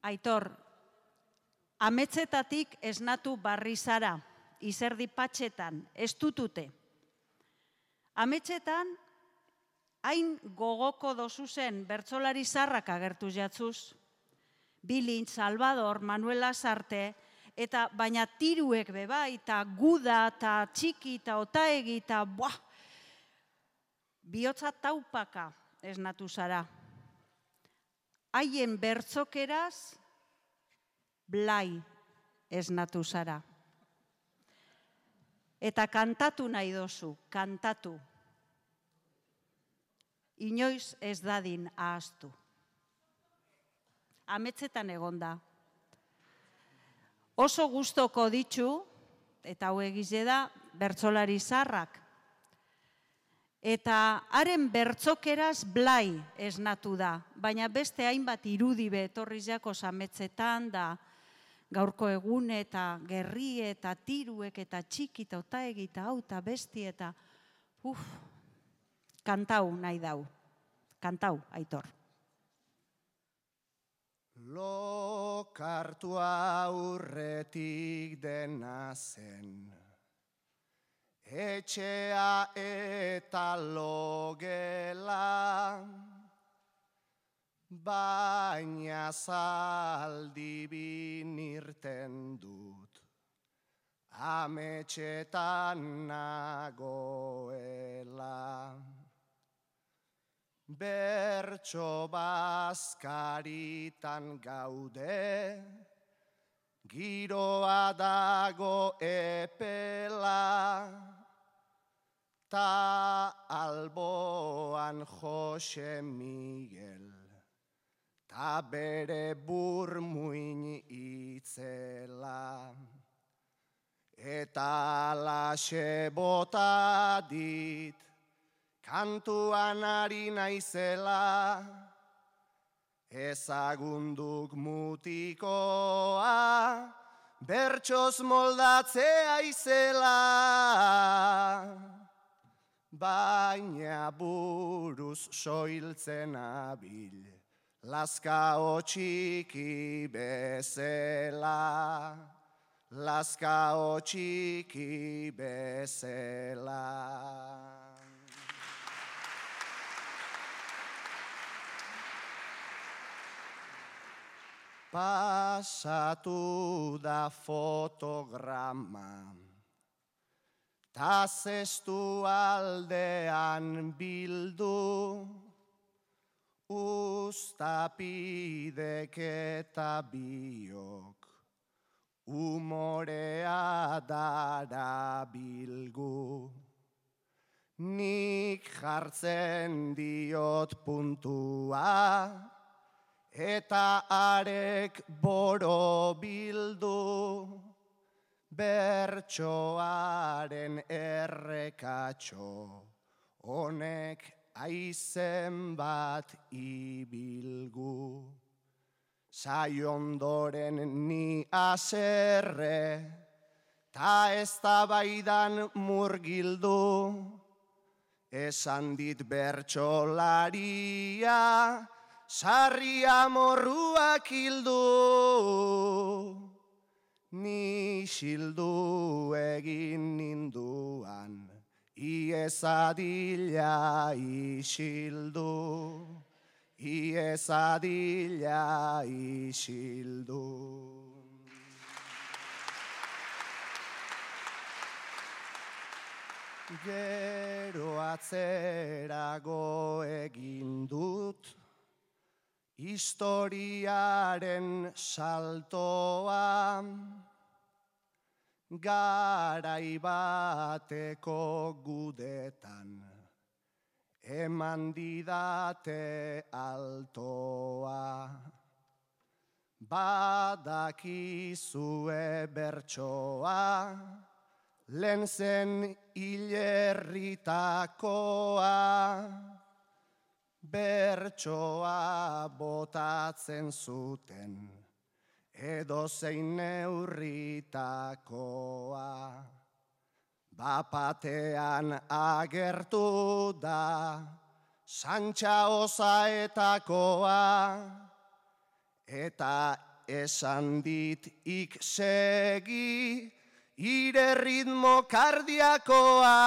Aitor, ametzetatik esnatu barri zara, izerdi patxetan, ez dutute. Ametzetan, hain gogoko dozu zen bertsolari zarrak agertu jatzuz. Bilin, Salvador, Manuel Lasarte, eta baina tiruek bebai, eta guda, eta txiki, eta otaegi, eta bihotza taupaka esnatu zara. Haien bertzokeraz, blai esnatu zara. Eta kantatu nahi dozu, kantatu. Inoiz ez dadin ahaztu. Ametzetan egonda. Oso gustoko ditzu, eta hau egize da, bertsolari zarrak. Eta haren bertzokeraz blai esnatu da, baina beste hainbat irudibe etorri jakoz ametzetan da, gaurko egune eta gerri eta tiruek eta txiki eta otaegi eta hau eta besti eta kantau nahi dau. Kantau, Aitor. Lokartu aurretik dena zen, etxea eta logela, baina zaldi binirten dut, ametxetan nagoela. Bertso bazkaritan gaude, giroa dago epela, ta alboan Jose Miguel, ta bere burmuin itzela. Eta alaxe bota dit, kantuan ari naizela, ezagunduk mutikoa, bertsoz moldatzea izela. Baina buruz soiltzen abil, lazkao txiki bezela, lazkao txiki bezela. Pasatu da fotograma, ta zestu aldean bildu, ustapidek eta biok, umorea dara bilgu. Nik jartzen diot puntua, eta arek boro bildu, bertsoaren errekatxo, honek aizen bat ibilgu. Saiondoren ni aserre, ta ez da baidan murgildu, esan dit bertsolaria, sarria morruak hildu, ni xildu egin ninduan, iezadila isildu, iezadila isildu. Gero atzerago egin dut, historiaren saltoa, garai bateko gudetan, eman didate altoa. Badakizue bertsoa, lehen zen hilerritakoa, bertsoa botatzen zuten, edozein neurritakoa. Bapatean agertu da, Santxa Osaetakoa, eta esan dit ik segi, ire ritmo kardiakoa.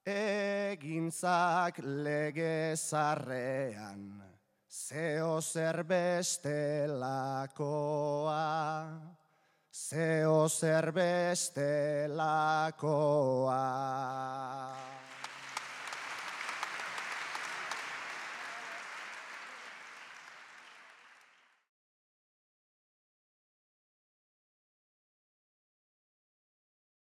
Egintzak legezarrean, zeo zer bestelakoa, zeo zer bestelakoa.